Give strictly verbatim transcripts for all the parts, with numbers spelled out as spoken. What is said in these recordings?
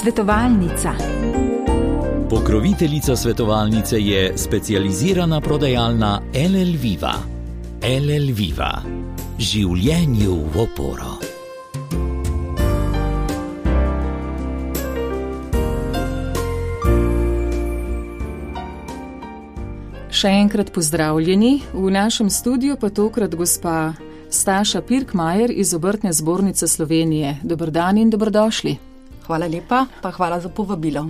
Svetovalnica. Pokroviteljica svetovalnice je specializirana prodajalna L L Viva. L L Viva. Življenju v oporo. Še enkrat pozdravljeni, v našem studiu pa tokrat gospa Staša Pirkmajer iz Obrtne zbornice Slovenije. Dober dan in dobrodošli. Hvala lepa, pa hvala za povabilo.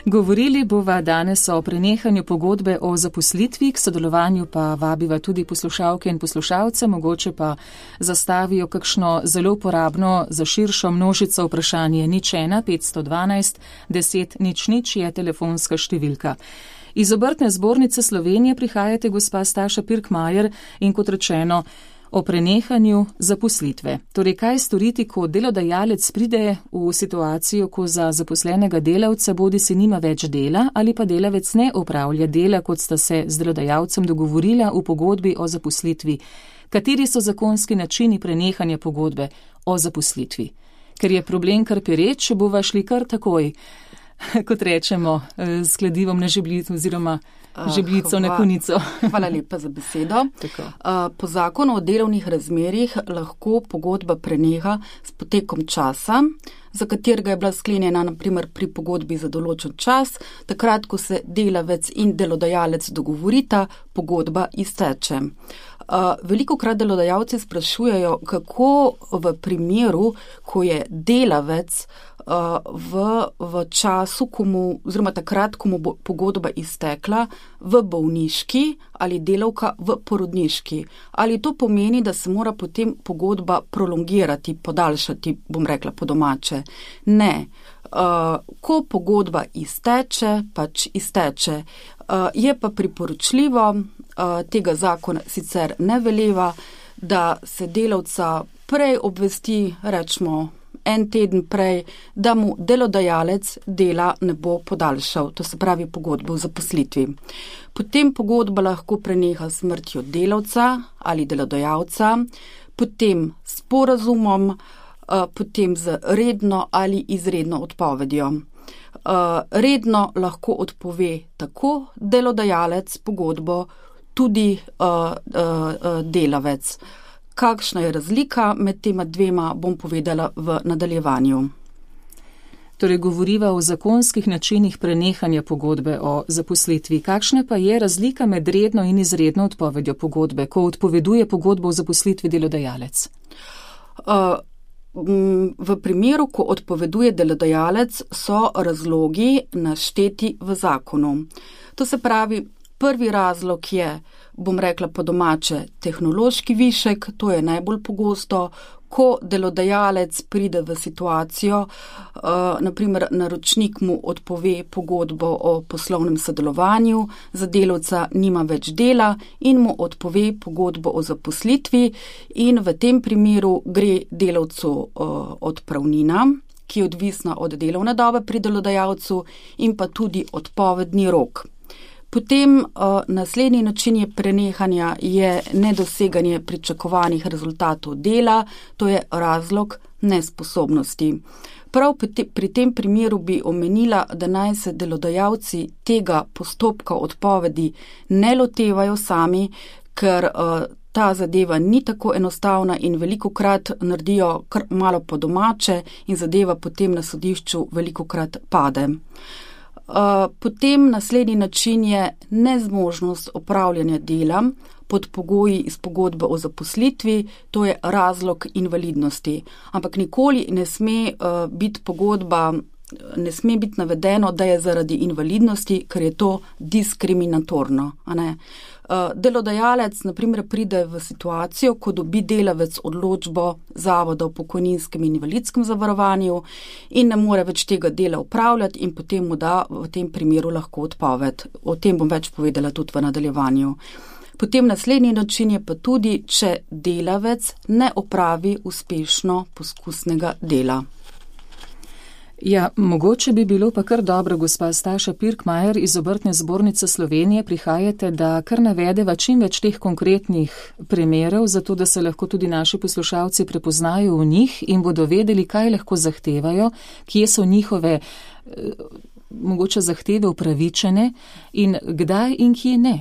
Govorili bova danes o prenehanju pogodbe o zaposlitvi, k sodelovanju pa vabiva tudi poslušalke in poslušalce, mogoče pa zastavijo kakšno zelo uporabno za širšo množico vprašanje. Nič ena, petsto dvanajst, deset, nič nič je telefonska številka. Iz Obrtne zbornice Slovenije prihajate gospa Staša Pirkmajer in kot rečeno o prenehanju zaposlitve. Torej, kaj storiti, ko delodajalec pride v situacijo, ko za zaposlenega delavca bodi si nima več dela ali pa delavec ne opravlja dela, kot sta se z delodajalcem dogovorila v pogodbi o zaposlitvi. Kateri so zakonski načini prenehanja pogodbe o zaposlitvi? Ker je problem kar pereč, bova šli kar takoj, kot rečemo, s kladivom na žebljico oziroma žebljico na konico. Hvala lepa za besedo. Po zakonu o delovnih razmerjih lahko pogodba preneha s potekom časa, za katerega je bila sklenjena naprimer pri pogodbi za določen čas, takrat, ko se delavec in delodajalec dogovorita, pogodba izteče. Veliko krat delodajalci sprašujejo, kako v primeru, ko je delavec v, v času, ko mu, oziroma takrat, ko mu bo pogodba iztekla, v bolniški ali delavka v porodniški. Ali to pomeni, da se mora potem pogodba prolongirati, podaljšati, bom rekla po domače? Ne. Uh, ko pogodba izteče, pač izteče. Uh, je pa priporočljivo, uh, tega zakona sicer ne veleva, da se delavca prej obvesti, rečemo, en teden prej, da mu delodajalec dela ne bo podaljšal, to se pravi pogodbo o zaposlitvi. Potem pogodba lahko preneha smrtjo delavca ali delodajalca, potem s sporazumom, potem z redno ali izredno odpovedjo. Redno lahko odpove tako delodajalec pogodbo, tudi delavec. Kakšna je razlika med tema dvema, bom povedala v nadaljevanju. Torej, govoriva o zakonskih načinih prenehanja pogodbe o zaposlitvi. Kakšna pa je razlika med redno in izredno odpovedjo pogodbe, ko odpoveduje pogodbo o zaposlitvi delodajalec? Uh, v primeru, ko odpoveduje delodajalec, so razlogi našteti v zakonu. To se pravi, prvi razlog je, bom rekla po domače, tehnološki višek, to je najbolj pogosto, ko delodajalec pride v situacijo, uh, naprimer naročnik mu odpove pogodbo o poslovnem sodelovanju, za delavca nima več dela in mu odpove pogodbo o zaposlitvi in v tem primeru gre delavcu uh, odpravnina, ki je odvisna od delovne dobe pri delodajalcu in pa tudi odpovedni rok. Potem uh, naslednji način je prenehanja je nedoseganje pričakovanih rezultatov dela, to je razlog nesposobnosti. Prav pri tem primeru bi omenila, da naj se delodajalci tega postopka odpovedi ne lotevajo sami, ker uh, ta zadeva ni tako enostavna in velikokrat naredijo kar malo po domače in zadeva potem na sodišču velikokrat pade. Uh, potem naslednji način je nezmožnost opravljanja dela pod pogoji iz pogodbe o zaposlitvi, to je razlog invalidnosti. Ampak nikoli ne sme uh, biti pogodba, ne sme biti navedeno, da je zaradi invalidnosti, ker je to diskriminatorno. A ne? Uh, delodajalec, na primer, pride v situacijo, ko dobi delavec odločbo Zavoda o pokojninskem in invalidskem zavarovanju in ne more več tega dela upravljati in potem mu da v tem primeru lahko odpoved. O tem bom več povedala tudi v nadaljevanju. Potem naslednji način je pa tudi, če delavec ne opravi uspešno poskusnega dela. Ja, mogoče bi bilo pa kar dobro, gospa Staša Pirkmajer iz Obrtne zbornice Slovenije, prihajate, da kar navedeva čim več teh konkretnih primerov, zato da se lahko tudi naši poslušalci prepoznajo v njih in bodo vedeli, kaj lahko zahtevajo, kje so njihove mogoče zahteve upravičene in kdaj in kje ne.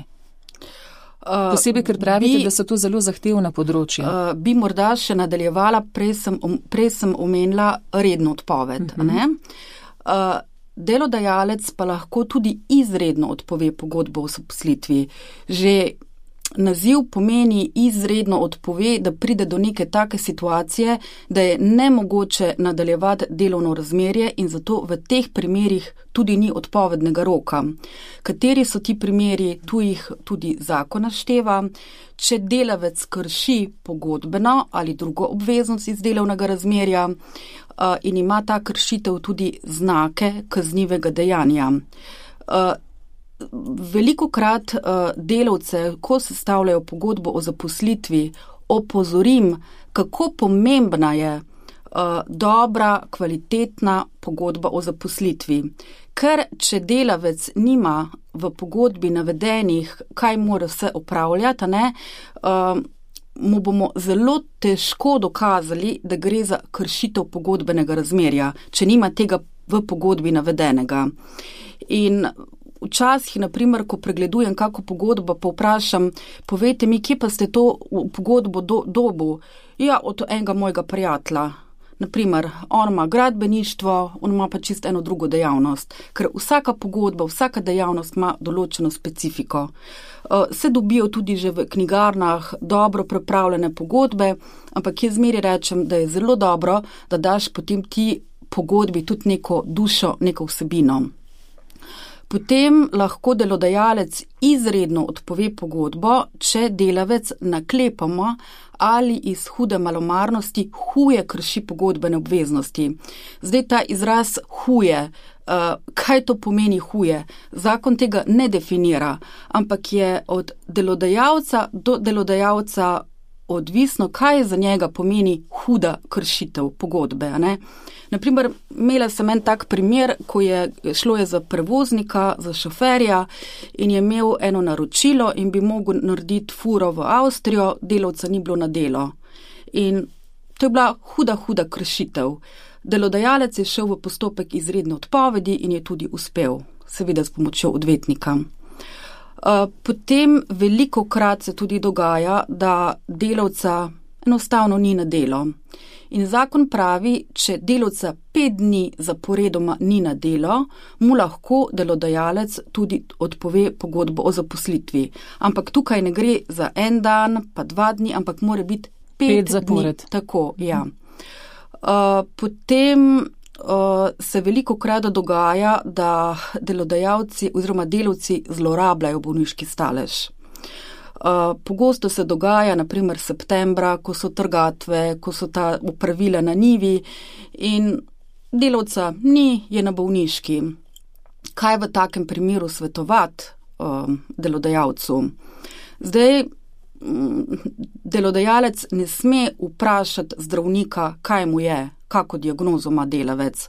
Posebej, ker pravite, bi, da so to zelo zahtevna področja. Uh, bi morda še nadaljevala, prej sem, prej sem omenila redno odpoved. Uh-huh. Ne? Uh, delodajalec pa lahko tudi izredno odpove pogodbo o zaposlitvi. Že naziv pomeni izredno odpove, da pride do neke take situacije, da je nemogoče nadaljevati delovno razmerje in zato v teh primerih tudi ni odpovednega roka. Kateri so ti primeri, tu jih tudi zakon našteva. Če delavec krši pogodbeno ali drugo obveznost iz delovnega razmerja uh, in ima ta kršitev tudi znake kaznivega dejanja. Uh, Velikokrat uh, delavce, ko sestavljajo pogodbo o zaposlitvi, opozorim, kako pomembna je uh, dobra, kvalitetna pogodba o zaposlitvi. Ker če delavec nima v pogodbi navedenih, kaj mora vse opravljati, ne, uh, mu bomo zelo težko dokazali, da gre za kršitev pogodbenega razmerja, če nima tega v pogodbi navedenega. In včasih, naprimer, ko pregledujem kako pogodbo, pa vprašam, povejte mi, kje pa ste to pogodbo do, dobu? Ja, od enega mojega prijatelja. Naprimer, on ima gradbeništvo, on ima pa čisto eno drugo dejavnost, ker vsaka pogodba, vsaka dejavnost ima določeno specifiko. Se dobijo tudi že v knjigarnah dobro pripravljene pogodbe, ampak jaz zmeraj rečem, da je zelo dobro, da daš potem ti pogodbi tudi neko dušo, neko vsebino. Potem lahko delodajalec izredno odpove pogodbo, če delavec naklepoma ali iz hude malomarnosti huje krši pogodbene obveznosti. Zdaj ta izraz huje, kaj to pomeni huje? Zakon tega ne definira, ampak je od delodajalca do delodajalca odvisno, kaj za njega pomeni huda kršitev pogodbe. Ne? Naprimer, imela sem en tak primer, ko je šlo je za prevoznika, za šoferja in je imel eno naročilo in bi mogel narediti furo v Avstrijo, delavca ni bilo na delo. In to je bila huda, huda kršitev. Delodajalec je šel v postopek izredne odpovedi in je tudi uspel, seveda s pomočjo odvetnika. Potem velikokrat se tudi dogaja, da delavca enostavno ni na delo. In zakon pravi, če delavca pet dni zaporedoma ni na delo, mu lahko delodajalec tudi odpove pogodbo o zaposlitvi. Ampak tukaj ne gre za en dan, pa dva dni, ampak mora biti pet, pet zapored. Dni. Tako, ja. Uh, potem uh, se velikokrat dogaja, da delodajalci oziroma delavci zlorabljajo bolniški stalež. Uh, pogosto se dogaja, naprimer septembra, ko so trgatve, ko so ta opravila na njivi in delavca ni, je na bolniški. Kaj v takem primeru svetovati uh, delodajalcu? Zdaj, delodajalec ne sme vprašati zdravnika, kaj mu je, kako diagnozo ima delavec.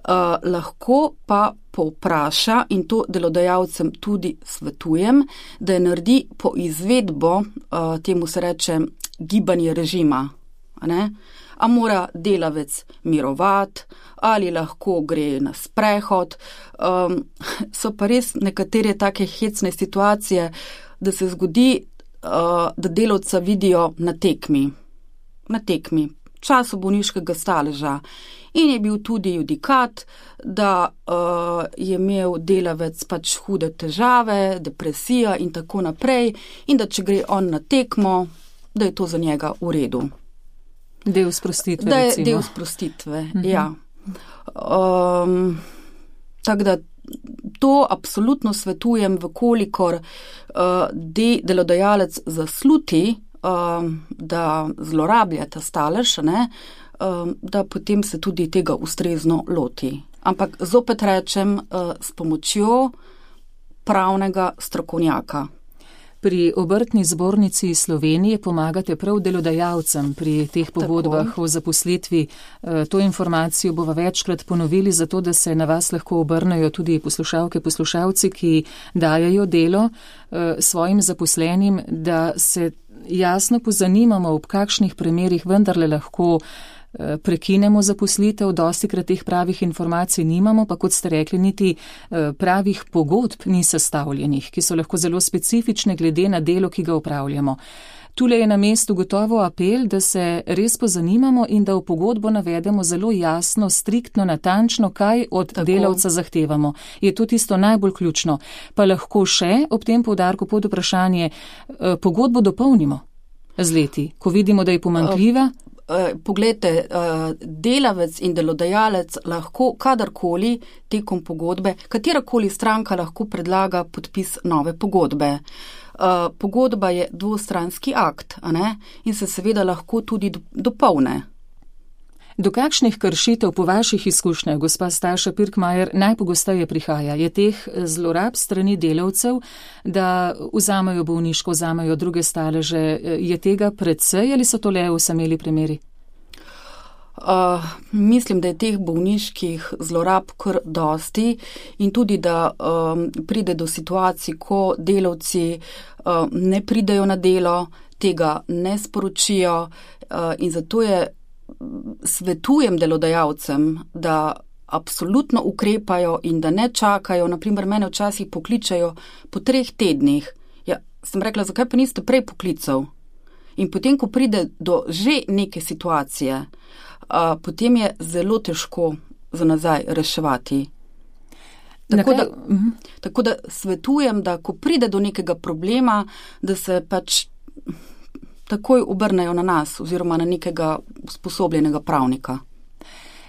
Uh, lahko pa povpraša, in to delodajalcem tudi svetujem, da je naredi po izvedbo, uh, temu se reče gibanje režima. Ne? A mora delavec mirovati, ali lahko gre na sprehod. Um, so pa res nekatere take hecne situacije, da se zgodi, uh, da delavca vidijo na tekmi. Na tekmi. Času bolniškega staleža. In je bil tudi judikat, da uh, je imel delavec pač hude težave, depresija in tako naprej, in da če gre on na tekmo, da je to za njega v redu. Del sprostitve, da je recimo. Del sprostitve, uh-huh. Ja. Um, tako da to absolutno svetujem, vkolikor uh, de, delodajalec zasluti, uh, da zlorablja ta stalež, ne, da potem se tudi tega ustrezno loti. Ampak zopet rečem, s pomočjo pravnega strokovnjaka. Pri Obrtni zbornici Slovenije pomagate prav delodajalcem pri teh pogodbah Tako. o zaposlitvi. To informacijo bova večkrat ponovili, zato da se na vas lahko obrnejo tudi poslušalke, poslušalci, ki dajajo delo svojim zaposlenim, da se jasno pozanimamo, ob kakšnih primerih vendarle lahko prekinemo zaposlitev, dostikrat teh pravih informacij nimamo, pa kot ste rekli, niti pravih pogodb ni sestavljenih, ki so lahko zelo specifične glede na delo, ki ga upravljamo. Tule je na mestu gotovo apel, da se res pozanimamo in da v pogodbo navedemo zelo jasno, striktno, natančno, kaj od Tako. delavca zahtevamo. Je to tisto najbolj ključno. Pa lahko še ob tem poudarku pod vprašanje pogodbo dopolnimo z leti, ko vidimo, da je pomanjkljiva. Poglejte, delavec in delodajalec lahko kadarkoli tekom pogodbe, katerakoli stranka lahko predlaga podpis nove pogodbe. Pogodba je dvostranski akt, a ne? In se seveda lahko tudi dopolne. Do kakšnih kršitev po vaših izkušnjah, gospa Staša Pirkmajer, najpogosteje prihaja? Je teh zlorab strani delavcev, da vzamejo bolniško, vzamejo druge staleže? Je tega precej ali so to le osameli primeri? Uh, mislim, da je teh bolniških zlorab kar dosti in tudi, da um, pride do situacij, ko delavci uh, ne pridejo na delo, tega ne sporočijo uh, in zato je svetujem delodajalcem, da absolutno ukrepajo in da ne čakajo. Naprimer, mene včasih pokličajo po treh tednih. Ja, sem rekla, zakaj pa niste prej poklical? In potem, ko pride do že neke situacije, a, potem je zelo težko za nazaj reševati. Tako da, tako da svetujem, da ko pride do nekega problema, da se pač takoj obrnejo na nas oziroma na nekega usposobljenega pravnika.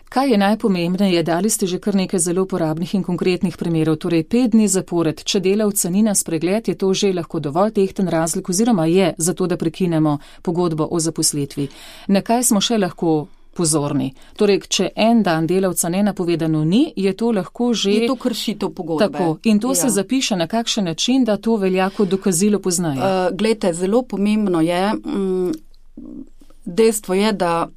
Kaj je najpomembneje? Dali ste že kar nekaj zelo uporabnih in konkretnih primerov. Torej, pet dni zapored, če delavca ni na spregled, je to že lahko dovolj tehten razlik oziroma je za to, da prekinemo pogodbo o zaposlitvi. Na kaj smo še lahko pozorni? Torej, če en dan delavca nenapovedano ni, je to lahko že... Je to kršitev pogodbe. Tako. In to ja. se zapiše na kakšen način, da to velja kot dokazilo poznaje? Uh, glejte, zelo pomembno je, um, dejstvo je, da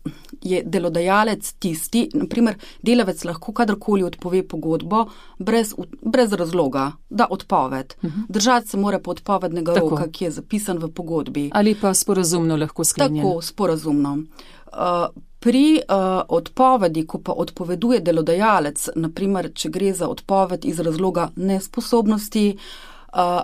je delodajalec tisti, naprimer, delavec lahko kadarkoli odpove pogodbo brez, brez razloga, da odpoved. Uh-huh. Držati se mora po odpovednega Tako. roka, ki je zapisan v pogodbi. Ali pa sporazumno lahko sklenjeno. Tako, sporazumno. Uh, Pri uh, odpovedi, ko pa odpoveduje delodajalec, naprimer, če gre za odpoved iz razloga nesposobnosti uh,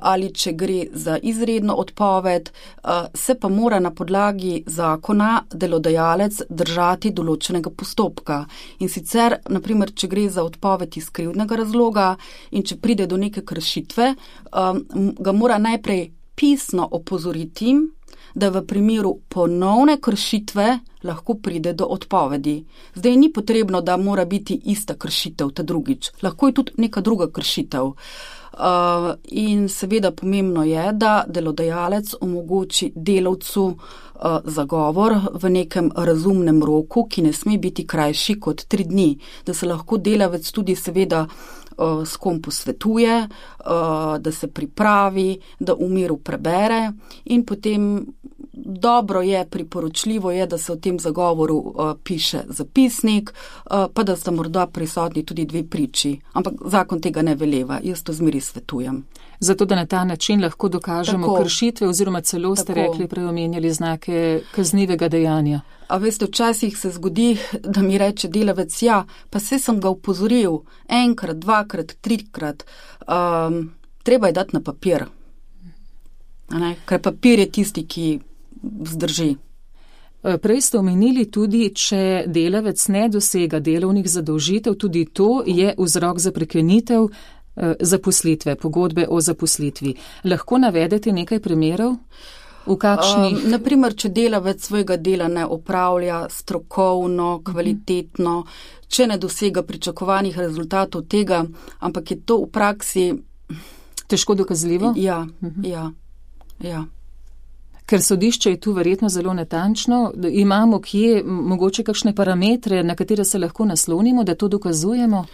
ali če gre za izredno odpoved, uh, se pa mora na podlagi zakona delodajalec držati določenega postopka. In sicer, naprimer, če gre za odpoved iz krivdnega razloga in če pride do neke kršitve, um, ga mora najprej pisno opozoriti, da v primeru ponovne kršitve lahko pride do odpovedi. Zdaj ni potrebno, da mora biti ista kršitev ta drugič. Lahko je tudi neka druga kršitev. Uh, in seveda pomembno je, da delodajalec omogoči delavcu uh, zagovor v nekem razumnem roku, ki ne sme biti krajši kot tri dni. Da se lahko delavec tudi seveda uh, s kom posvetuje, uh, da se pripravi, da v miru prebere in potem dobro je, priporočljivo je, da se v tem zagovoru uh, piše zapisnik, uh, pa da sta morda prisotni tudi dve priči. Ampak zakon tega ne veleva, jaz to zmeri svetujem. Zato, da na ta način lahko dokažemo Tako. kršitve oziroma celo ste Tako. rekli, preomenjali znake kaznivega dejanja. A veste, včasih se zgodi, da mi reče delavec, ja, pa se sem ga upozoril enkrat, dvakrat, trikrat. Um, treba je dati na papir. Ker papir je tisti, ki vzdrži. Prej ste omenili tudi, če delavec ne dosega delovnih zadolžitev, tudi to je vzrok za prekinitev zaposlitve, pogodbe o zaposlitvi. Lahko navedete nekaj primerov? V kakšnih? Um, naprimer, če delavec svojega dela ne opravlja strokovno, kvalitetno, uh-huh. če ne dosega pričakovanih rezultatov tega, ampak je to v praksi težko dokazljivo? Ja, uh-huh. ja, ja. Ker sodišče je tu verjetno zelo natančno, imamo kje mogoče kakšne parametre, na katere se lahko naslonimo, da to dokazujemo?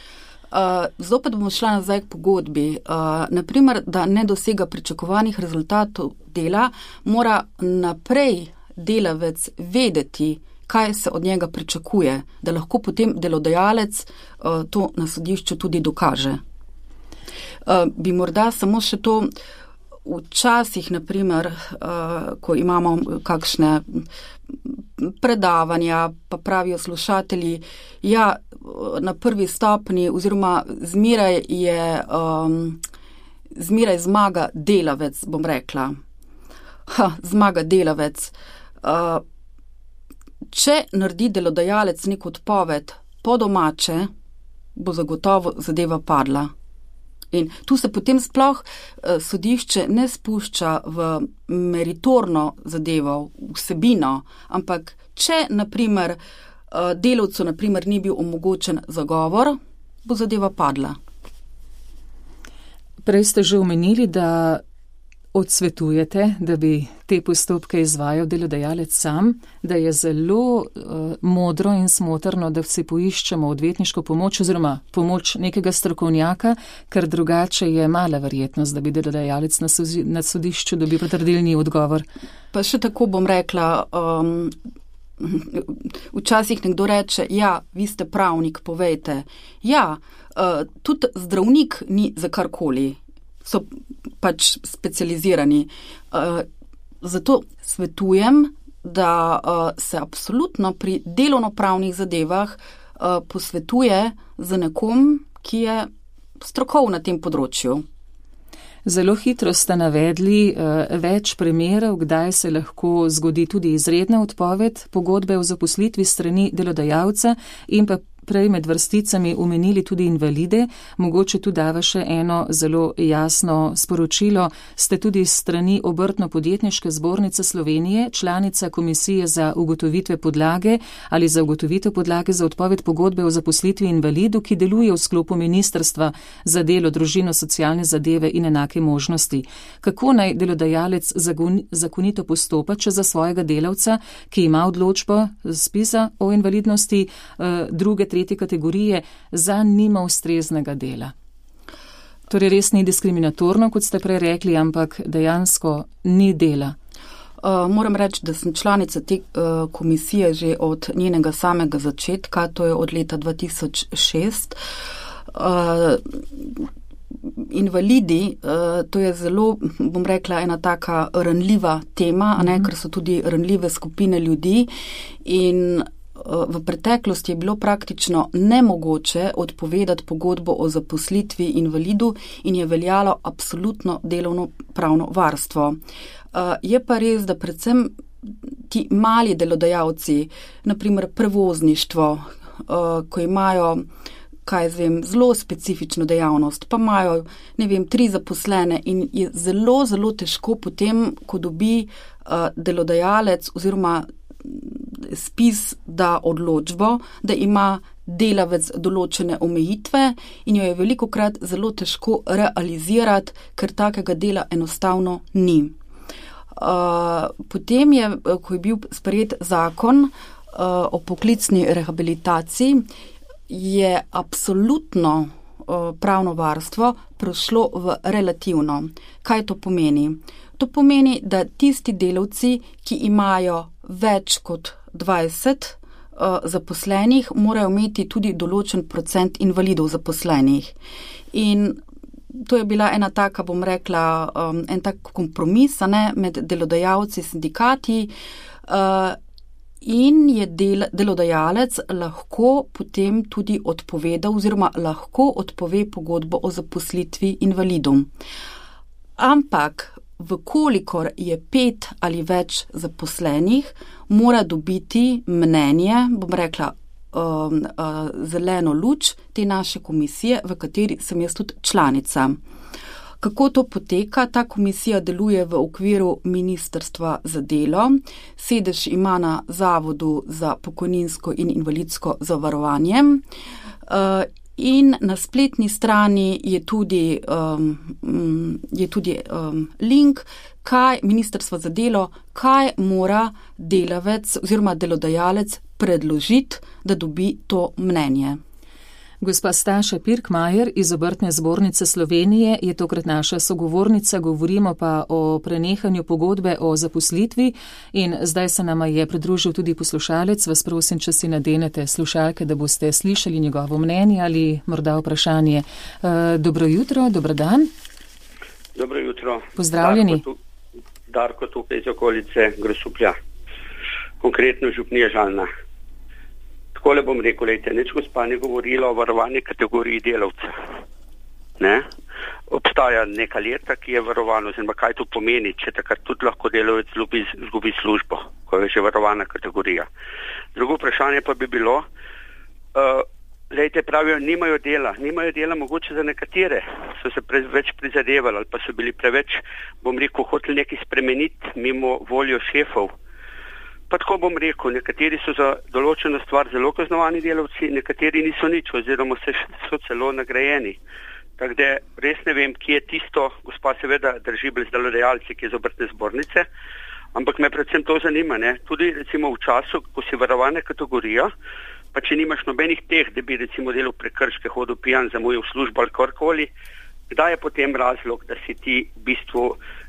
Uh, zopet bomo šla nazaj k pogodbi. Uh, naprimer, da ne dosega pričakovanih rezultatov dela, mora naprej delavec vedeti, kaj se od njega pričakuje, da lahko potem delodajalec uh, to na sodišču tudi dokaže. Uh, bi morda samo še to včasih, naprimer, uh, ko imamo kakšne predavanja, pa pravijo slušatelji, ja, na prvi stopni oziroma zmeraj je, um, zmeraj zmaga delavec, bom rekla. Ha, zmaga delavec. Uh, če naredi delodajalec nek odpoved po domače, bo zagotovo zadeva padla. In tu se potem sploh uh, sodišče ne spušča v meritorno zadevo, vsebino, ampak če, naprimer, uh, delavcu, naprimer, ni bil omogočen zagovor, bo zadeva padla. Prej ste že omenili, da odsvetujete, da bi te postopke izvajal delodajalec sam, da je zelo uh, modro in smotrno, da vsi poiščemo odvetniško pomoč oziroma pomoč nekega strokovnjaka, ker drugače je mala verjetnost, da bi delodajalec na, sozi, na sodišču dobil potrdilni odgovor. Pa še tako bom rekla, um, včasih nekdo reče, ja, vi ste pravnik, povejte. Ja, uh, tudi zdravnik ni za karkoli. So pač specializirani. Uh, zato svetujem, da uh, se absolutno pri delovnopravnih zadevah uh, posvetuje z nekom, ki je strokovn na tem področju. Zelo hitro ste navedli uh, več primerov, kdaj se lahko zgodi tudi izredna odpoved pogodbe o zaposlitvi strani delodajalca in pa prej med vrsticami omenili tudi invalide. Mogoče tu dava še eno zelo jasno sporočilo. Ste tudi strani Obrtno-podjetniške zbornice Slovenije, članica komisije za ugotovitve podlage ali za ugotovitev podlage za odpoved pogodbe o zaposlitvi invalidu, ki deluje v sklopu Ministrstva za delo, družino, socialne zadeve in enake možnosti. Kako naj delodajalec zakonito postopa, če za svojega delavca, ki ima odločbo ZPIZ-a o invalidnosti druge, tretje kategorije, za nima ustreznega dela? Torej res ni diskriminatorno, kot ste prej rekli, ampak dejansko ni dela. Uh, moram reči, da sem članica te uh, komisije že od njenega samega začetka, to je od leta dva tisoč šest. Uh, invalidi, uh, to je zelo, bom rekla, ena taka ranljiva tema, a ne, ker so tudi ranljive skupine ljudi in v preteklosti je bilo praktično nemogoče odpovedati pogodbo o zaposlitvi invalidu in je veljalo absolutno delovno pravno varstvo. Je pa res, da predvsem ti mali delodajalci, naprimer prevozništvo, ko imajo, kaj zvem, zelo specifično dejavnost, pa imajo, ne vem, tri zaposlene in je zelo, zelo težko potem, ko dobi delodajalec oziroma ZPIZ da odločbo, da ima delavec določene omejitve in jo je velikokrat zelo težko realizirati, ker takega dela enostavno ni. Uh, potem je, ko je bil sprejet zakon uh, o poklicni rehabilitaciji, je absolutno uh, pravno varstvo prešlo v relativno. Kaj to pomeni? To pomeni, da tisti delavci, ki imajo več kot dvajset uh, zaposlenih, morajo imeti tudi določen procent invalidov zaposlenih. In to je bila ena taka, bom rekla, um, en tak kompromis, ne, med delodajalci, sindikati uh, in je del, delodajalec lahko potem tudi odpovedal oziroma lahko odpove pogodbo o zaposlitvi invalidom. Ampak vkolikor je pet ali več zaposlenih, mora dobiti mnenje, bom rekla, um, uh, zeleno luč te naše komisije, v kateri sem jaz tudi članica. Kako to poteka? Ta komisija deluje v okviru Ministrstva za delo, sedež ima na Zavodu za pokojninsko in invalidsko zavarovanje. Uh, In na spletni strani je tudi, um, je tudi um, link, kaj Ministrstvo za delo, kaj mora delavec oziroma delodajalec predložiti, da dobi to mnenje. Gospa Staša Pirkmajer iz Obrtne zbornice Slovenije je tokrat naša sogovornica, govorimo pa o prenehanju pogodbe o zaposlitvi in zdaj se nama je pridružil tudi poslušalec. Vas prosim, če si nadenete slušalke, da boste slišali njegovo mnenje ali morda vprašanje. E, dobro jutro, dober dan. Dobro jutro. Pozdravljeni. Darko, tu, Darko tukaj iz okolice Grosuplja, konkretno župnija Žalna. Takole bom rekel, lejte, nič gospa ni govorila o varovani kategoriji delavca. Ne? Obstaja neka leta, ki je varovano, oziroma kaj to pomeni, če takrat tudi lahko delavec zgubi, zgubi službo, ko je že varovana kategorija. Drugo vprašanje pa bi bilo, uh, lejte, pravijo, nimajo dela, nimajo dela mogoče za nekatere, so se preveč prizadevali ali pa so bili preveč, bom rekel, hoteli nekaj spremeniti mimo voljo šefov. Pa tako bom rekel, nekateri so za določeno stvar zelo kaznovani delavci, nekateri niso nič, oziroma so celo nagrajeni. Tako da res ne vem, kje je tisto, gospa seveda drži brez delodajalci, ki je z Obrtne zbornice, ampak me predvsem to zanima, ne? Tudi recimo v času, ko si varovane kategorija, pa če nimaš nobenih teh, da bi recimo delal prekrške, hodil pijan, zamujal službo ali karkoli, kdaj je potem razlog, da si ti v bistvu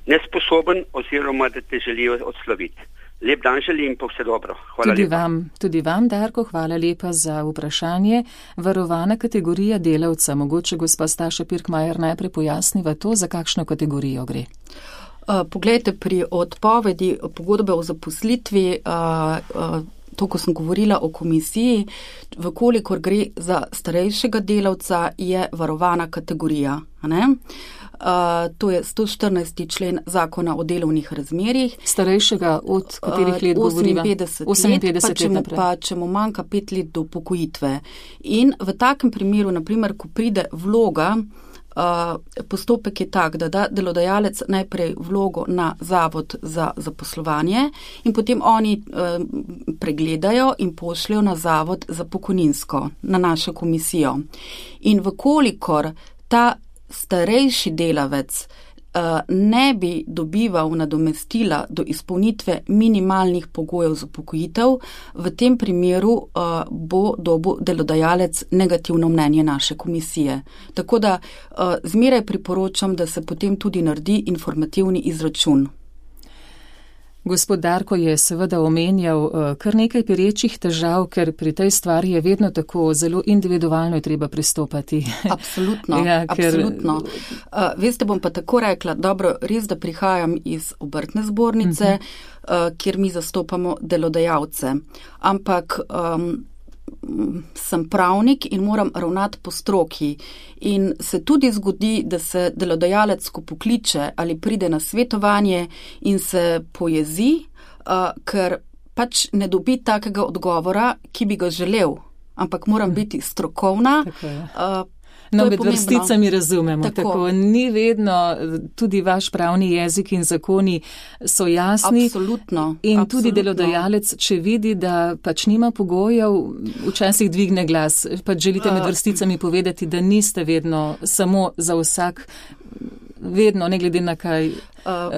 nesposoben oziroma da te želijo odsloviti. Lep dan želim, pa vse dobro. Hvala tudi lepa. Vam, tudi vam, Darko, hvala lepa za vprašanje. Varovana kategorija delavca. Mogoče gospa Staša Pirkmajer najprej pojasniva to, za kakšno kategorijo gre. Uh, poglejte, pri odpovedi pogodbe o zaposlitvi, uh, uh, to, ko sem govorila o komisiji, vkolikor gre za starejšega delavca, je varovana kategorija. Ne? Uh, to je sto štirinajsti člen zakona o delovnih razmerjih. Starejšega od katerih let uh, govoriva? oseminpetdeset let, pa, pa če mu manjka pet let do upokojitve. In v takem primeru, naprimer, ko pride vloga, uh, postopek je tak, da da delodajalec najprej vlogo na zavod za zaposlovanje in potem oni uh, pregledajo in pošljajo na zavod za pokojninsko, na našo komisijo. In vkolikor ta starejši delavec uh, ne bi dobival nadomestila do izpolnitve minimalnih pogojev za upokojitev, v tem primeru uh, bo dobil delodajalec negativno mnenje naše komisije. Tako da uh, zmeraj priporočam, da se potem tudi naredi informativni izračun. Gospod Darko je seveda omenjal kar nekaj perečih težav, ker pri tej stvari je vedno tako zelo individualno je treba pristopati. Absolutno, ja, ker... absolutno. Uh, veste, bom pa tako rekla, dobro, res, da prihajam iz Obrtne zbornice, uh-huh. uh, kjer mi zastopamo delodajalce. Ampak um, sem pravnik in moram ravnati po stroki. In se tudi zgodi, da se delodajalec, ko pokliče ali pride na svetovanje in se pojezi, uh, ker pač ne dobi takega odgovora, ki bi ga želel, ampak moram biti strokovna. Uh, No, med vrsticami razumemo, tako. tako ni vedno, tudi vaš pravni jezik in zakoni so jasni. Absolutno. In absolutno. Tudi delodajalec, če vidi, da pač nima pogojev, včasih dvigne glas. Pač želite med vrsticami povedati, da niste vedno samo za vsak, vedno, ne glede na kaj,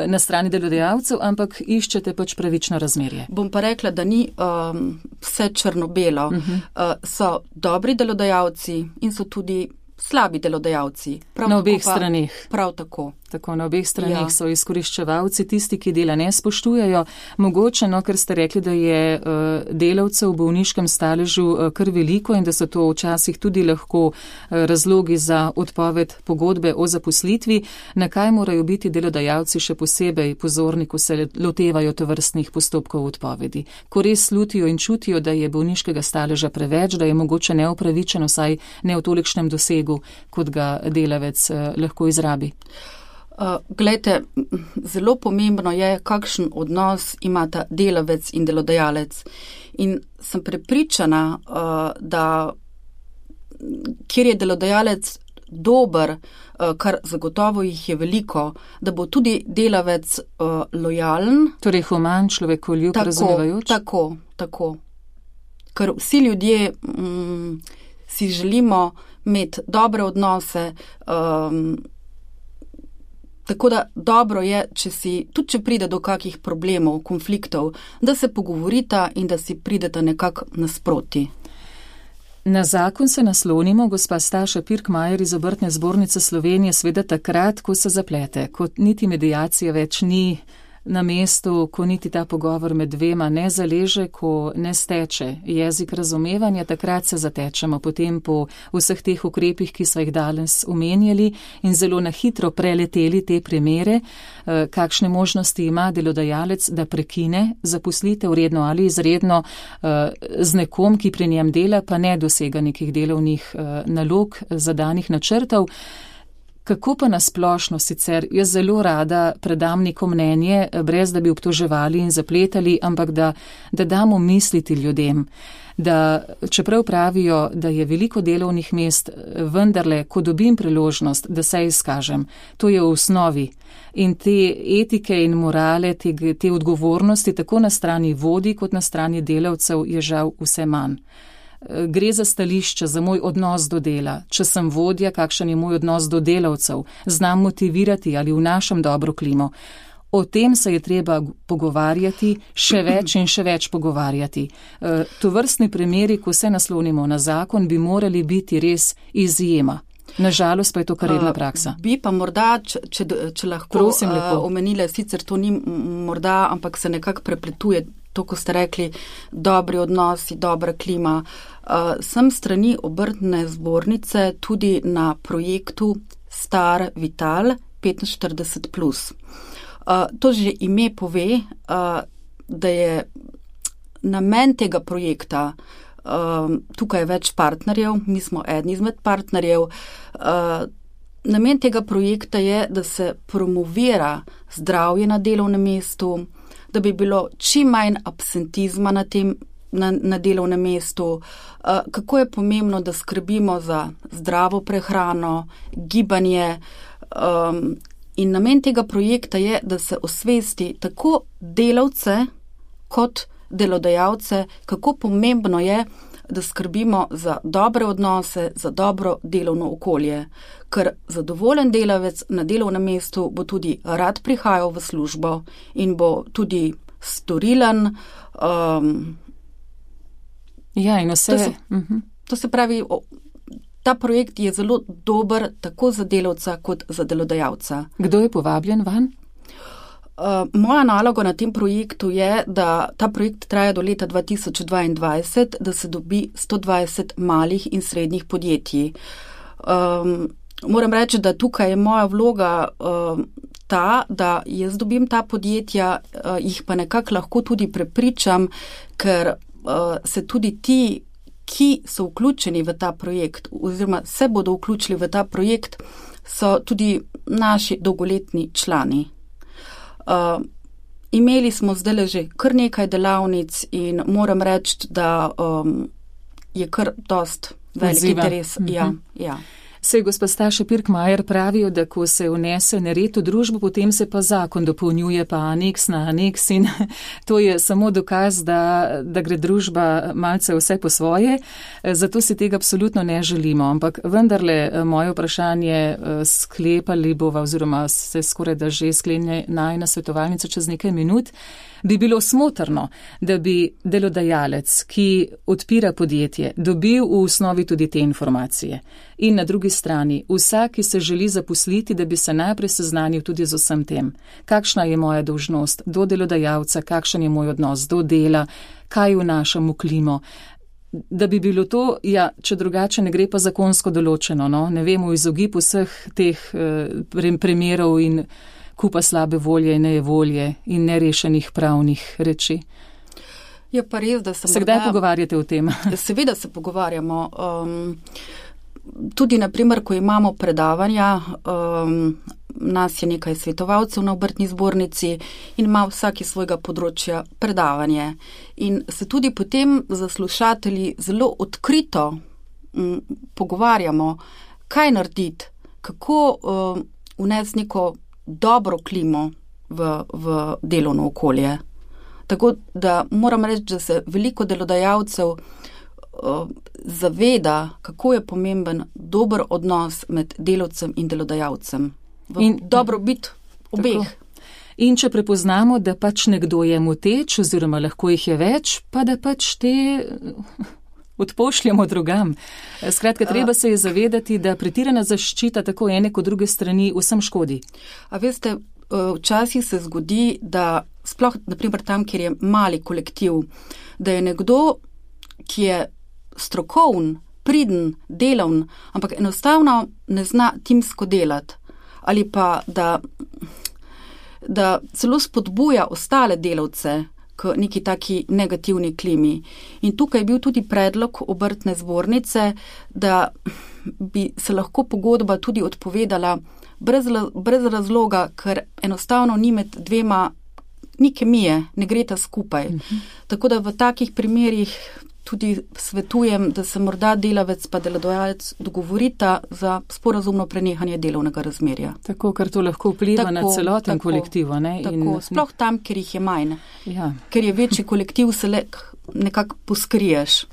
na strani delodajalcev, ampak iščete pač pravično razmerje. Bom pa rekla, da ni um, vse črno-belo. Uh-huh. Uh, so dobri delodajalci in so tudi slabi delodajalci. Prav na obeh straneh. Prav tako. Tako, na obeh straneh ja. So izkoriščevalci, tisti, ki dela ne spoštujejo. Mogoče, no, ker ste rekli, da je uh, delavcev v bolniškem staležu uh, kar veliko in da so to včasih tudi lahko uh, razlogi za odpoved pogodbe o zaposlitvi. Na kaj morajo biti delodajalci še posebej pozorni, ko se lotevajo tovrstnih postopkov odpovedi? Ko res slutijo in čutijo, da je bolniškega staleža preveč, da je mogoče neupravičeno, saj ne v tolikšnem dosegu, kot ga delavec uh, lahko izrabi. Uh, glejte, zelo pomembno je, kakšen odnos imata delavec in delodajalec. In sem prepričana, uh, da kjer je delodajalec dober, uh, kar zagotovo jih je veliko, da bo tudi delavec uh, lojalen. Torej human, človekoljub, razumevajoč? Tako, tako. Ker vsi ljudje um, si želimo imeti dobre odnose, um, tako da dobro je, če si, tudi če pride do kakih problemov, konfliktov, da se pogovorita in da si prideta nekako nasproti. Na zakon se naslonimo, gospa Staša Pirkmajer iz Obrtne zbornice Slovenije, sveda takrat, ko se zaplete, ko niti medijacija več ni na mestu, ko niti ta pogovor med dvema ne zaleže, ko ne steče jezik razumevanja, takrat se zatečemo potem po vseh teh ukrepih, ki so jih danes omenjali in zelo na hitro preleteli te primere, kakšne možnosti ima delodajalec, da prekine zaposlitev redno ali izredno z nekom, ki pri njem dela, pa ne dosega nekih delovnih nalog, zadanih načrtov. Kako pa nasplošno sicer? Jaz zelo rada predam neko mnenje, brez da bi obtoževali in zapletali, ampak da, da damo misliti ljudem, da čeprav pravijo, da je veliko delovnih mest, vendarle, ko dobim priložnost, da se izkažem, to je v osnovi. In te etike in morale, te, te odgovornosti, tako na strani vodij kot na strani delavcev, je žal vse manj. Gre za stališče, za moj odnos do dela. Če sem vodja, kakšen je moj odnos do delavcev, znam motivirati ali vnašam dobro klimo. O tem se je treba pogovarjati, še več in še več pogovarjati. Tovrstni primeri, ko se naslonimo na zakon, bi morali biti res izjema. Nažalost pa je to kar redna praksa. Bi pa morda, če, če, če lahko omenile, sicer to ni morda, ampak se nekako prepletuje to, ko ste rekli, dobri odnosi, dobra klima. Uh, sem strani Obrtne zbornice tudi na projektu Star Vital petinštirideset plus. Uh, to že ime pove, uh, da je namen tega projekta, uh, tukaj je več partnerjev, mi smo eden izmed partnerjev, uh, namen tega projekta je, da se promovira zdravje na delovnem mestu, da bi bilo čim manj absentizma na, tem, na, na delovnem mestu, uh, kako je pomembno, da skrbimo za zdravo prehrano, gibanje. Um, in namen tega projekta je, da se osvesti tako delavce kot delodajalce, kako pomembno je, da skrbimo za dobre odnose, za dobro delovno okolje. Ker zadovoljen delavec na delovnem mestu bo tudi rad prihajal v službo in bo tudi storilen. Um, ja, in vse. To se, uh-huh. to se pravi, ta projekt je zelo dober tako za delavca kot za delodajalca. Kdo je povabljen van? Uh, moja naloga na tem projektu je, da ta projekt traja do leta dva tisoč dvaindvajset, da se dobi sto dvajset malih in srednjih podjetij. Um, moram reči, da tukaj je moja vloga uh, ta, da jaz dobim ta podjetja, uh, jih pa nekako lahko tudi prepričam, ker uh, se tudi ti, ki so vključeni v ta projekt oziroma se bodo vključili v ta projekt, so tudi naši dolgoletni člani. Uh, imeli smo zdaj že kar nekaj delavnic in moram reči, da um, je kar dost velik interes. Mm-hmm. Ja, ja. Sej gospa Staša Pirkmajer pravijo, da ko se vnese nered v družbo, potem se pa zakon dopolnjuje, pa aneks na aneks in to je samo dokaz, da, da gre družba malce vse po svoje, zato si tega absolutno ne želimo. Ampak vendarle moje vprašanje sklepali bova oziroma se skoraj da že sklenje najina svetovalnica čez nekaj minut, bi bilo smotrno, da bi delodajalec, ki odpira podjetje, dobil v osnovi tudi te informacije. In na drugi strani, vsak, ki se želi zaposliti, da bi se najprej seznanil tudi z vsem tem. Kakšna je moja dolžnost do delodajalca, kakšen je moj odnos do dela, kaj vnašam v klimo. Da bi bilo to, ja, če drugače ne gre pa zakonsko določeno, no? Ne vemo izogib vseh teh eh, primerov in kupa slabe volje in nejevolje in nerešenih pravnih reči. Je pa res, da se Se kdaj pogovarjate o tem? Seveda se pogovarjamo. Um, tudi, naprimer, ko imamo predavanja, um, nas je nekaj svetovalcev na Obrtni zbornici in ima vsaki svojega področja predavanje. In se tudi potem za slušatelji zelo odkrito um, pogovarjamo, kaj narediti, kako um, vnesti neko dobro klimo v, v delovno okolje. Tako da moram reči, da se veliko delodajalcev uh, zaveda, kako je pomemben dober odnos med delavcem in delodajalcem. V in dobrobit obeh. Tako. In če prepoznamo, da pač nekdo je moteč oziroma lahko jih je več, pa da pač te odpošljamo drugam. Skratka, treba se je zavedati, da pretirana zaščita tako ene kot druge strani vsem škodi. A veste, včasih se zgodi, da sploh, naprimer tam, kjer je mali kolektiv, da je nekdo, ki je strokovn, priden, delavn, ampak enostavno ne zna timsko delati. Ali pa, da, da celo spodbuja ostale delavce k neki taki negativni klimi. In tukaj je bil tudi predlog obrtne zbornice, da bi se lahko pogodba tudi odpovedala brez, brez razloga, ker enostavno ni med dvema, ni kemije, ne greta skupaj. Mhm. Tako da v takih primerih tudi svetujem, da se morda delavec pa delodajalec dogovorita za sporazumno prenehanje delovnega razmerja. Tako, ker to lahko vpliva tako, na celoten tako, kolektiv. Ne? Tako, In, sploh tam, kjer jih je manj. Ja. Ker je večji kolektiv, se le nekako poskriješ.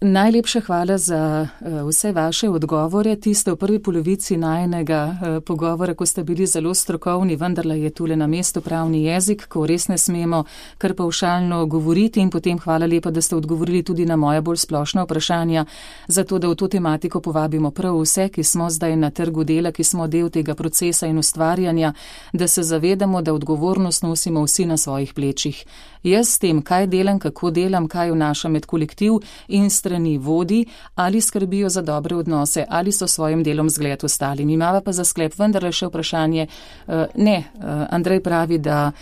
Najlepša hvala za uh, vse vaše odgovore. Tiste v prvi polovici najnega uh, pogovora, ko ste bili zelo strokovni, vendarle je tule na mestu pravni jezik, ko res ne smemo kar pavšalno govoriti, in potem hvala lepa, da ste odgovorili tudi na moja bolj splošna vprašanja, zato da v to tematiko povabimo prav vse, ki smo zdaj na trgu dela, ki smo del tega procesa in ustvarjanja, da se zavedamo, da odgovornost nosimo vsi na svojih plečih. Jaz s tem, kaj delam, kako delam, kaj vnašam med kolektiv in strani vodi, ali skrbijo za dobre odnose, ali so svojim delom zgled ostalim. Imava pa za sklep vendarle še vprašanje. Ne, Andrej pravi, da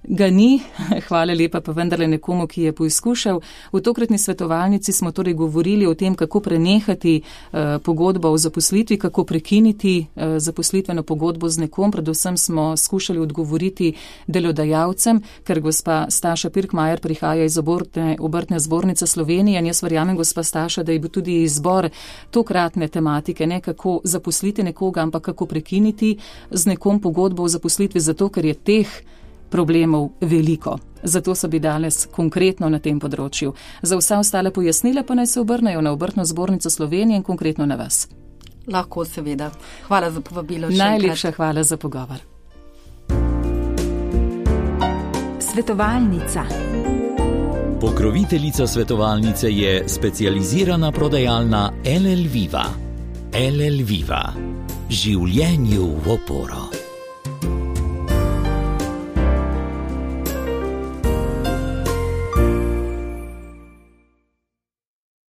ga ni, hvala lepa pa vendarle nekomu, ki je poizkušal. V tokratni svetovalnici smo torej govorili o tem, kako prenehati uh, pogodbo o zaposlitvi, kako prekiniti uh, zaposlitveno pogodbo z nekom. Predvsem smo skušali odgovoriti delodajalcem, ker gospa Staša Pirkmajer prihaja iz obrtne, obrtne zbornice Slovenije, in jaz verjamem, gospa Staša, da je bil tudi izbor tokratne tematike, ne kako zaposliti nekoga, ampak kako prekiniti z nekom pogodbo o zaposlitvi, zato ker je teh problemov veliko. Zato so bi danes konkretno na tem področju. Za vsa ostale pojasnila pa naj se obrnejo na obrtno zbornico Slovenije in konkretno na vas. Lahko, seveda. Hvala za povabilo. Najlepša hvala za pogovor. Svetovalnica. Pokroviteljica svetovalnice je specializirana prodajalna L L Viva. L L Viva. Življenju v oporo.